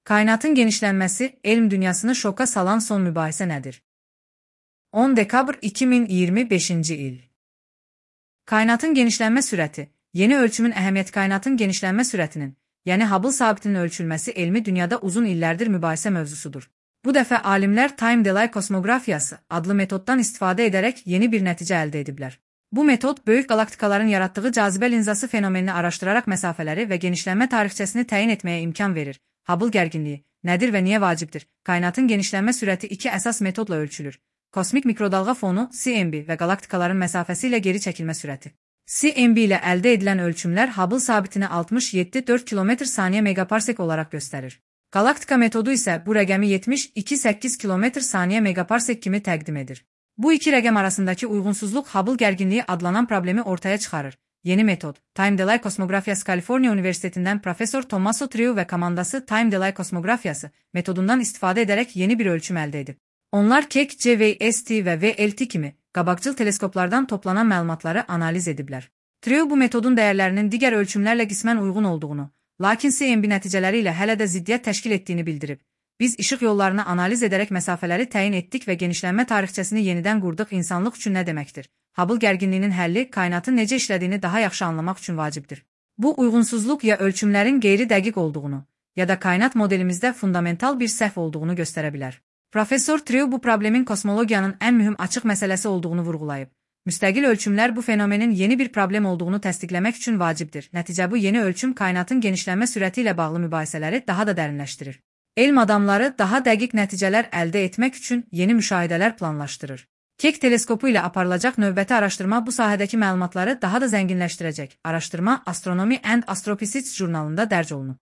Kainatın genişlənməsi, elm dünyasını şoka salan son mübahisə nədir? 10 dekabr 2025-ci il. Kainatın genişlənmə sürəti, yeni ölçümün əhəmiyyəti kainatın genişlənmə sürətinin, yəni Hubble sabitinin ölçülməsi elmi dünyada uzun illərdir mübahisə mövzusudur. Bu dəfə alimlər Time Delay kosmografiyası adlı metoddan istifadə edərək yeni bir nəticə əldə ediblər. Bu metod, böyük qalaktikaların yaratdığı cazibə linzası fenomenini araşdıraraq məsafələri və genişlənmə tarixçəsini təyin etməyə imkan verir. Hubble gərginliyi nədir və niyə vacibdir? Kainatın genişlənmə sürəti iki əsas metodla ölçülür. Kosmik mikrodalğa fonu (CMB) və qalaktikaların məsafəsi ilə geri çəkilmə sürəti. CMB ilə əldə edilən ölçümlər Hubble sabitini 67,4 km/saniyə megaparsek olaraq göstərir. Galaktika metodu isə bu rəqəmi 72,8 km/saniyə megaparsek kimi təqdim edir. Bu iki rəqəm arasındakı uyğunsuzluq Hubble gərginliyi adlanan problemi ortaya çıxarır. Yeni metod, Time Delay kosmografiyası Kaliforniya Universitetindən professor Tommaso Trieu və komandası Time Delay kosmografiyası metodundan istifadə edərək yeni bir ölçüm əldə edib. Onlar Keck, JWST və VLT kimi qabaqcıl teleskoplardan toplanan məlumatları analiz ediblər. Trieu bu metodun dəyərlərinin digər ölçümlərlə qismən uyğun olduğunu, lakin CMB nəticələri ilə hələ də ziddiyyət təşkil etdiyini bildirib. Biz işıq yollarını analiz edərək məsafələri təyin etdik və genişlənmə tarixçəsini yenidən qurduq. İnsanlıq üçün nə deməkdir? Hubble gərginliyinin həlli kainatın necə işlədiyini daha yaxşı anlamaq üçün vacibdir. Bu uyğunsuzluq ya ölçümlərin qeyri-dəqiq olduğunu, ya da kainat modelimizdə fundamental bir səhv olduğunu göstərə bilər. Professor Trieu bu problemin kosmologiyanın ən mühüm açıq məsələsi olduğunu vurğulayıb. Müstəqil ölçümlər bu fenomenin yeni bir problem olduğunu təsdiqləmək üçün vacibdir. Nəticə bu yeni ölçüm kainatın genişlənmə sürəti ilə bağlı mübahisələri daha da dərinləşdirir. Elm adamları daha dəqiq nəticələr əldə etmək üçün yeni müşahidələr planlaşdırır. Keck teleskopu ilə aparılacaq növbəti araşdırma bu sahədəki məlumatları daha da zənginləşdirəcək. Araşdırma Astronomy and Astrophysics jurnalında dərc olunub.